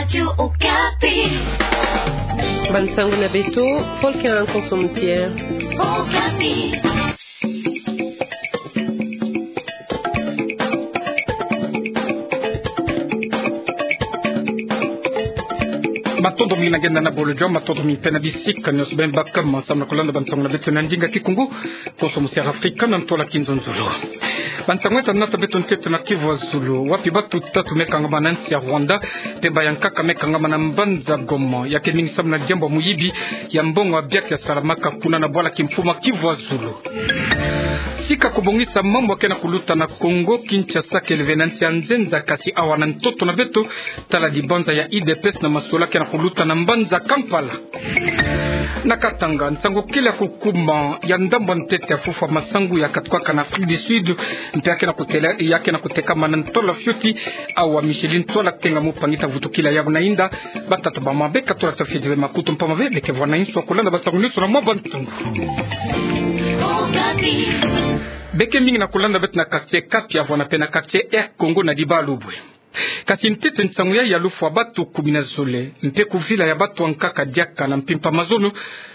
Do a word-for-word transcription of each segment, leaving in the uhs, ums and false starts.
Radio Okapi. Bansango na beto, Volker Nkonso Musier. Okapi. Matondo mingi na nge na bolojo, matondo mingi mpe na bisika nyonso beno bakama samu na kulanda bansango na beto na ndinga Kikongo. Nkonso Musier Afrika na ntwala Kinzonzolo. Bansango ya ta nata beto ntete na Kivu ya Zulu, wapi batu tatu me kangama na nsi ya Rwanda, mpemba ya nkaka me kangama na mbanza Goma, ya ke mingi samu na diambu ya muyibi ya mbongo ya biaki ya salamaka kuna na bwala kimfumu ya Kivu ya Zulu. Sika kubongisa mambu ya ke na kuluta na Kongo Kinshasa, kele ve na nsi ya nzenza, kasi awa na ntoto na beto, tala dibanza ya U D P S na masolo ya ke na kuluta na mbanza Kampala. Na Katanga, nsangu kele ya kukuma ya ndambu ya ntete ya fufulu ya masangu ya katukaka na Afrique du Sud, mpe ya ke na kutela, ya ke na kutekama na ntwala fioti, awa Micheline Ntwala Tenga, mupangi, ta vutukila yawu na inda. Batata, bamama, beka tula ta fioti ve makutu, mpamba ve beke vwa na insu ya kulanda bansangu nyonso na mwa bansangu. Beke mingi na kulanda beto na quartier Kapi, ya vwa na mpe na quartier Air Congo na Dibalubwe. Kasi ntete nsangu yayi ya lufwa batu kumi na zole, mpe kuvila ya batu ya nkaka diaka na mpimpa mazono,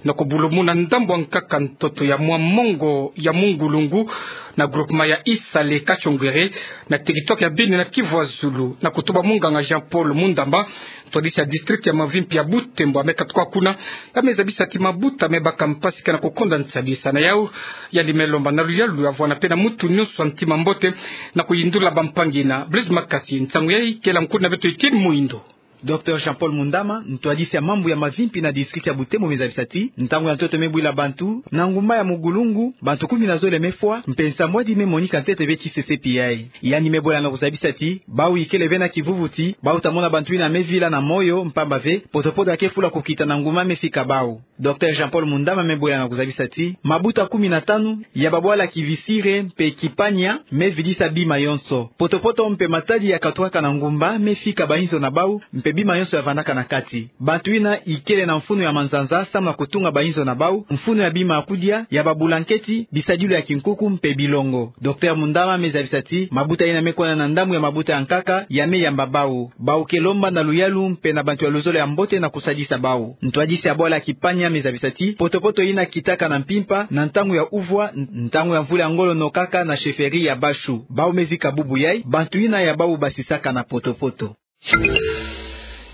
na kubulumuna ndambu ya nkaka ntoto ya mwa mongo ya Mungulungu, na groupement ya Isale Kachongwere, na territoire ya Beni na Kivu ya Zulu, na kutuba munganga Jean-Paul Mundamba, ntwadisi ya district ya mavimpi ya Butembo, ya me katuka kuna, ya me zabisa ti mabuta me baka mpasi ke na kukonda nsadisa na yawu. Yandi me lomba na luyalu ya vwa na mpe na mutu nyonso ya ntima mbote na kuyindula bampangi na Blaise Makasi. Nsangu yayi kele ya nkundi na beto Etienne Muindo. Docteur Jean-Paul Mundamba, ntwadisi ya mambu ya mavimpi na district ya Butembo, me zabisa ti ntangu ya ntoto me bwila bantu na ngumba ya Mungulungu, bantu kumi na zole me fwa, mpe nsambwadi me monika ntete ve ti sesepi yayi. Yandi me bwela na kuzabisa ti bawu ikele ve na kivuvu ti bawu ta mona bantu yina me vila na moyo, mpamba ve potopoto ya ke fula kukita na ngumba me fika bawu. Docteur Jean-Paul Mundamba me bwela na kuzabisa ti mabuta kumi na tanu ya babwala Kivisire mpe Kipania me vidisa bima yonso. Potopoto mpe matadi ya katukaka na ngumba me fika bainzo na bawu, mpe bima yonso ya vandaka na kati. Bantu yina ikele na mfunu ya manzanza samu na kutunga bainzo na bawu, mfunu ya bima ya kudia, ya babulanketi, bisadilu ya kinkuku mpe bilongo. Docteur Mundamba me zabisa ti mabuta yina me kwenda na ndambu ya mabuta ya nkaka ya me yamba bawu. Bawu ke lomba na luyalu mpe na bantu ya luzolo ya mbote na kusadisa bawu. Ntwadisi ya bwala Kipania me zabisa ti potopoto yina kitaka na mpimpa na ntangu ya uvwa, n-, ntangu ya mvula ya ngolo nokaka na chefferie ya Bashu. Bawu me zika bubu yayi, bantu yina ya bawu basisaka na potopoto.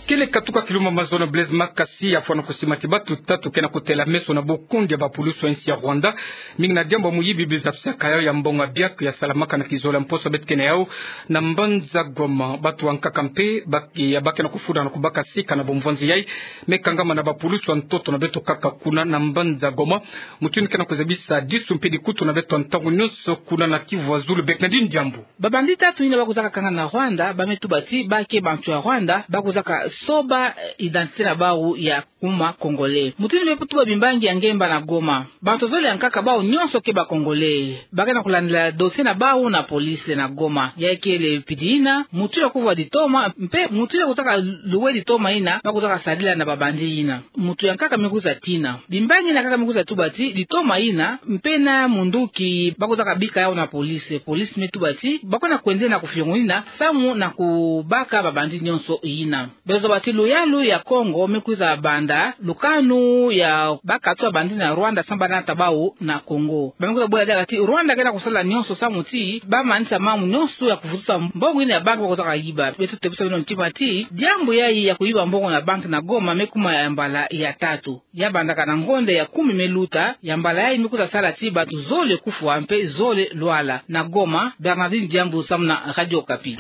Kele katuka kilumbu mazono, Blaise Makasi ya fwana kusima ti batu tatu ke na kutela meso na bokondi ya bapulusu ya nsi ya Rwanda, mingi na diambu ya muyibi biza pisaka yawu ya mbongo ya biaki ya salamaka na kizolo ya mposo beto ke na yawu na mbanza Goma. Batu ya nkaka mpe ba ke, ya ba ke na kufunda na kubaka sika na bomvwanzi yayi me kangama na bapulusu ya ntoto na beto kaka kuna na mbanza Goma. Mutu yina ke na kuzabisa disu mpe dikutu na beto ya ntangu nyonso kuna na Kivu ya Zulu, Bernardine Diambu. Babandi tatu yina ba kwizaka kanga na Rwanda, ba me tuba ti ba ke bantu ya Rwanda, ba kwizaka soba, eh, identité na bawu ya kuma Congolais. Mutu yina me tuba bimbangi ya ngemba na Goma. Bantu zole ya nkaka, bawu nyonso ke ba Congolais. Ba ke na kulandila dossier na bawu na police na Goma. Ya kele pidi yina, mutu ya kuvwa ditoma, mpe mutu ya kwizaka louer ditoma yina, ba kwizaka sadila na babandi yina. Mutu ya nkaka me kwiza tina. Bimbangi na nkaka me kwiza tuba ti ditoma yina, mpe na munduki ba kwizaka bika yawu na police. Police me tuba ti ba kwenda kwende na kufiongo yina, samu na kubaka babandi nyonso yina. Beto zoba ti luyalu ya Kongo me kwiza banda lukanu ya bakatu ya bandi na Rwanda samu ba nata bawu na Kongo. Ba me kwiza bwela diaka ti Rwanda ke na kusala nyonso samu ti ba manisa mambu nyonso ya kuvutusa mbongo yina ya banki ba kwizaka yiba. Beto tebisa beno ntima ti diambu yayi ya kuyiba mbongo na banki na Goma me kuma ya mbala ya tatu. Ya bandaka na ngonda ya kumi me luta, ya mbala yayi me kwiza sala ti bantu zole kufwa mpe zole lwala. Na Goma, Bernardine Diambu samu na Radio Okapi.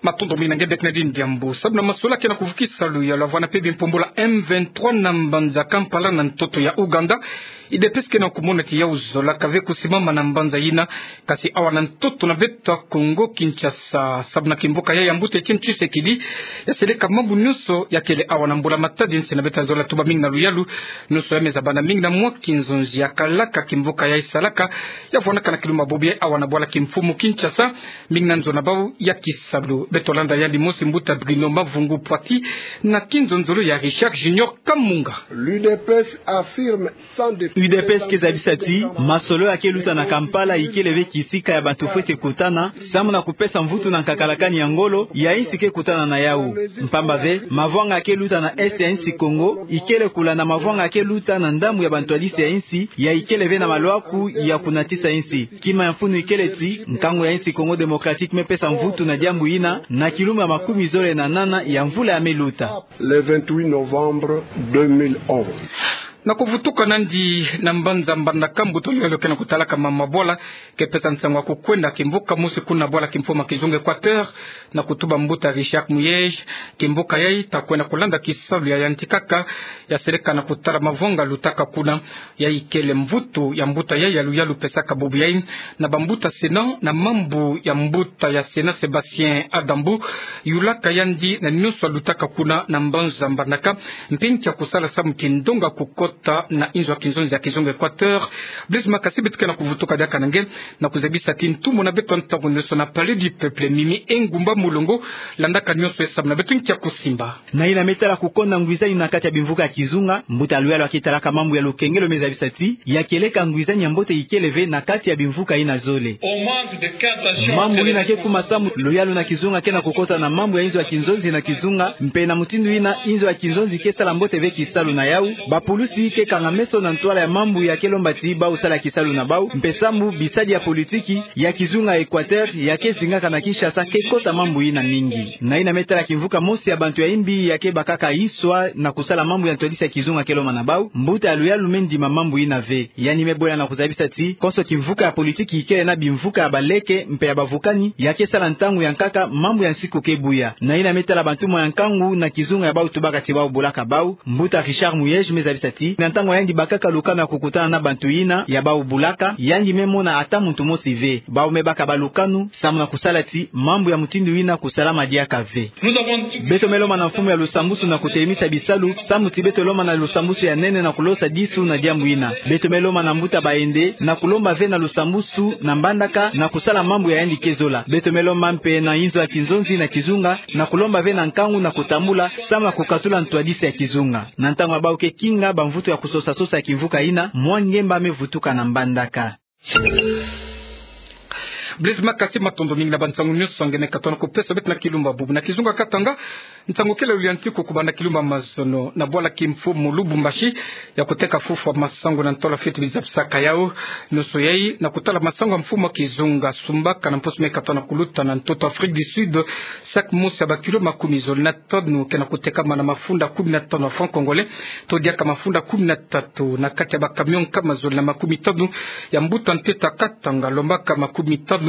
Matondo mingi na nge Bernardine Diambu. Samu na masolo ke na kuvukisa luyalu, ya vwa na mpe bimpumbulu ya M vingt-trois na mbanza Kampala na ntoto ya Ouganda, U D P S ke na kumona ti yawu zola ka ve kusimama na mbanza yina, kasi awa na ntoto na beto ya Kongo Kinshasa. Samu na kimvuka ya, ya mbuta Etienne Tshisekedi, ya seleka mambu nyonso ya kele awa na mbula-matadi, nsi na beto ya zola tuba mingi na luyalu. Nyonso ya me za banda mingi na mwa kinzonzi ya kalaka kimvuka ya isalaka, ya vwanaka na kilumbu bobo yayi awa na bwala kimfumu Kinshasa, mingi na nzo na bawu ya kisalu. Beto landa yandi mosi mbuta Bruno Mavungu Poiti na kinzonzolo ya Richard Junior Kamunga. L'U D P S affirme sans détour. U D P S ke zabisa ti masolo ya ke luta na Kampala ikele ve kisika ya bantu fwete kutana, samu na kupesa mvutu na nkakalakani ya ngolo ya insi ke kutana na yau. Mpamba ve, mavwanga ya ke luta na Est ya insi Kongo ikele kula na mavwanga ya ke luta na ndambu ya bantwadisi ya insi ya ikele ve na malwaku ya kunatisa insi. Kima ya mfunu ikele ti, nkangu ya insi Congo Démocratique me pesa mvutu na diambu ina, na kilumbu ya makumi zole na nana ya mvula ya me luta. Le vingt-huit novembre deux mille onze. Na kuvutuka nandi na mbanza Mbandaka, mbuta luyalu ke na kutalaka mama bwala ke pesa nsangu ya kukwenda kimvuka mosi kuna bwala kimfumu ya kizunga Équateur, na kutuba mbuta Richard Muyej, kimvuka yayi ta kwenda kulanda kisalu ya yanti kaka, ya seleka na kutala mavwanga lutaka kuna. Ya ikele mvutu ya mbuta yayi ya luyalu pesaka bubu yayi na bambuta Sénat, na mambu ya mbuta ya Sénat Sébastien Adambu, yulaka yandi na nionso ya lutaka kuna na mbanza Mbandaka, mpe nki ya kusala samu kindonga kukota na inzo ya kinzonzi ya kizunga Équateur. Blaise Makasi, beto ke na kuvutuka diaka na nge, na kuzabisa ti ntumbu na beto ntangu nionso na Palais du Peuple, Mimi Engumba Mulongo landaka nionso ye samu na beto nki ya kusimba. Na ina me tala kukonda ngwizani na kati ya bimvuka ya kizunga, mbuta luyalu ya ke talaka mambu ya lukengelo me zabisa ti ya ke leka ngwizani ya mbote ikele ve na kati ya bimvuka ina zole. Mambu ina ke kuma samu luyalu na kizunga ke na kukota na mambu ya inzo ya kinzonzi na kizunga, mpe na mutindu ina inzo ya kinzonzi ke sala mbote ve kisalu na yau, bapulusi ke kanga meso na ntwala ya mambu ya ke lomba ti bau sala kisalu na bau, mpe samu bisadi ya politiki ya kizunga Équateur ya ke zingaka na Kinshasa ke kota mambu ina mingi. Na ina me tala kimvuka mosi ya bantu ya imbi ya ke bakaka iswa na kusala mambu ya ntwadisi ya kizunga ke lomba na bau, mbuta ya luyalu me ndima mambu ina ve. Yandi me bwela na kuzabisa ti konso kimvuka ya politiki ikele na bimvuka ya baleke mpe ya bavukani ya ke sala ntangu ya nkaka mambu ya nsiku ke buya. Na ina me tala bantumwa ya nkangu na kizunga ya bau tubaka ti bau bulaka bau, mbuta Richard Muyej me zabisa ti na ntangu ya yandi bakaka lukanu ya kukutana na bantu ina ya bau bulaka, yandi me mona ata muntu mosi ve. Bau me baka balukanu samu na kusala ti mambu ya mutindu ina kusalama diaka ve. Beto me lomba na mfumu ya lusambusu na kutelemisa bisalu, samu ti beto lomba na lusambusu ya nene na kulosa disu na diambu ina. Beto me lomba na mbuta Bayende na kulomba ve na lusambusu na Mbandaka na kusala mambu ya yandi ke zola. Beto me lomba mpe na inzo ya kinzonzi na kizunga na kulomba ve na nkangu na kutambula samu na kukatula ntwadisi ya kizunga. Na ntangu ya bau ke kinga bamvutu ya kusosa-sosa ya kimvuka ina, mwa ngemba me vutuka na Mbandaka. Blaise Makasi, matondo mingi na bansangu nionso nge me katuka na kupesa beto na kilumbu ya bubu. Na kizunga Katanga, nsangu kele luyantiku kubanda kilumbu ya mazono na bwala kimfumu Lubumbashi, ya kuteka fufu ya masangu na ntwala fweti bizapisaka yau. Nionso yayi na kutala masangu ya mfumu ya kizunga sumbaka na mposo me katuka na kuluta na ntoto Afrique du Sud, sac mosi ya bakilo makumi zole na tanu ke na kutekama na mafunda kumi na tanu ya francs congolais, to diaka mafunda kumi na tatu, na kati ya bacamion nkama zole na makumi tanu ya mbuta ntete ya Katanga, lombaka makumi tanu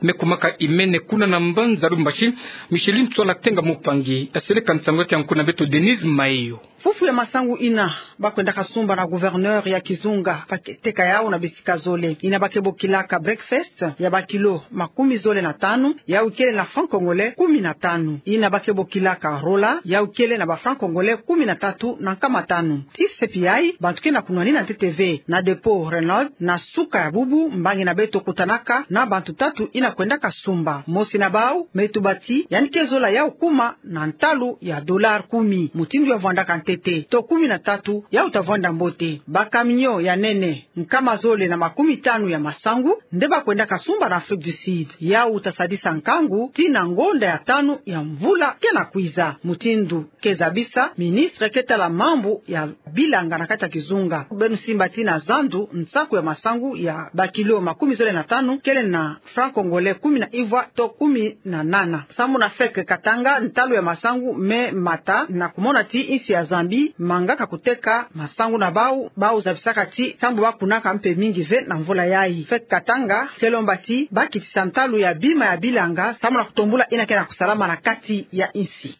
me kumaka imene kuna na mbanza Lubumbashi. Micheline Tswala Tenga Mupangi ya seleka nsangu ya ke ya nku na beto Denise Mayo. Fufu ya masangu ina ba kwendaka sumba na gouverneur ya kizunga, ba ke teka yau na bisika zole. Ina ba ke bokilaka breakfast ya bakilo makumi zole na tanu, yau ikele na francs congolais kumi na tanu. Ina ba ke bokilaka rola, yau ikele na ba francs congolais kumi na tatu na nkama tanu. Ti sepi yayi, bantu ke na kunwanina ntete ve na dépôt Renault na suka ya bubu, mbangi na beto kutanaka na bantu tatu ina kwendaka sumba. Mosi na bau me tuba ti yandi ke zola yau kuma na ntalu ya dollar kumi, mutindu ya vwandaka ntete, to kumi na tatu, yau ta vwanda mbote. Bacamion ya nene nkama zole na makumi tanu ya masangu nde ba kwendaka sumba na Afrique du Sud. Yau ta sadisa nkangu tii na ngonda ya tanu ya mvula ke na kwiza, mutindu ke zabisa ministre ke tala mambu ya bilanga na kati ya kizunga. Beno simba ti na zandu, nsaku ya masangu ya bakilo makumi zole na tanu kele na francs congolais kumi na ivwa to kumi na nana. Samu na F E C Katanga, ntalu ya masangu me mata na kumona ti insi ya Zambie mangaka kuteka masangu na bau, bau zabisaka ti ntangu ba kunaka mpe mingi ve na mvula yayi. F E C Katanga ke lomba ti ba kitisa ntalu ya bima ya bilanga samu na kutombula ina ke na kusalama na kati ya insi.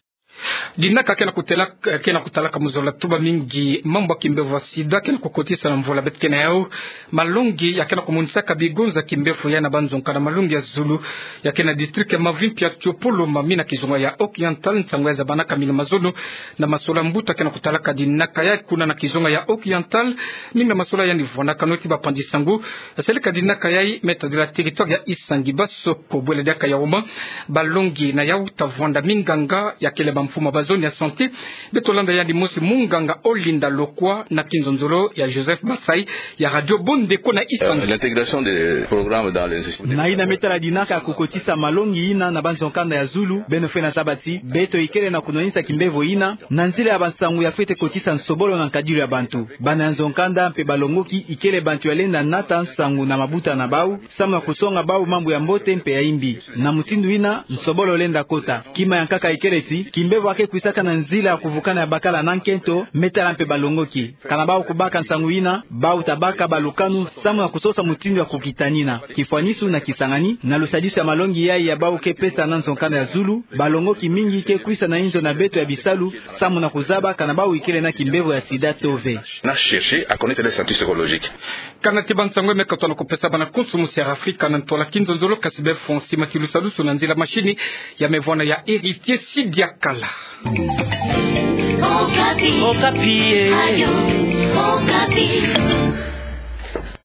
Dinaka ke na kutalaka, ke na kutalaka mu zola tuba mingi mambu ya kimbevo ya sida ke na kukotisa na mvola beto ke na yau. Malongi ya ke na kumonisaka bigonza kimbevo ya na banzonkanda malongi ya zulu ya ke na district ya mavimpi ya Tsopolo, mamina kizunga ya Oriental, nsangu ya zabanaka mingi mazono na masola mbuta ke na kutalaka dinaka ya kuna na kizunga ya Oriental. Mingi na masola yandi vwanaka noti bapanzi nsangu, seleka dinaka yayi me tadila territoire ya Issangui Basso. Ko bwela diaka ya homa, balongi na yau ta vwanda minganga ya kele bamfumu ba zone ya santé. Beto landa yandi mosi munganga Olinda Lokwa na kinzonzolo ya Joseph Basai ya radio Bondeko na Issangui. Euh, l'intégration des programmes dans les instituts. Na yina me tala dinaka ya kukotisa malongi yina na banzonkanda ya zulu, beno fwe na zaba ti beto ikele na kunwanisa kimbevo yina na nzila ya bansangu ya fwete kotisa nsobolo na nkadilu ya bantu. Bana ya nzonkanda mpe balongoki ikele bantu ya lenda nata nsangu na mabuta na bau, samu na kusonga bau mambu ya mbote mpe ya imbi. Na mutindu yina, nsobolo lenda kota. Kima ya nkaka ikele ti, kimbevo ya ke kwisaka na nzila ya kuvukana ya bakala na nkento, me tala mpe balongoki. Kana bau kubaka nsangu yina, bau ta baka balukanu, samu na kusosa mutindu ya kukitanina. Kifwanisu na kisangani, na lusadisu ya malongi yayi ya bau ke pesa na nzonkanda ya zulu, balongoki mingi ke kwisa na inzo na beto ya bisalu, samu na kuzaba kana bau ikele na kimbevo ya sida to ve. Na chercher à connaître leur statut psychologique. Kana ti bansangu me katona kupesa bana konso musi ya Afrika na ntwala kinzonzolo, kasi be fo nsi mati lusadusu na nzila machine ya me vwana ya Héritier Sidiakala. Okapi. Okapi, eh. Radio Okapi.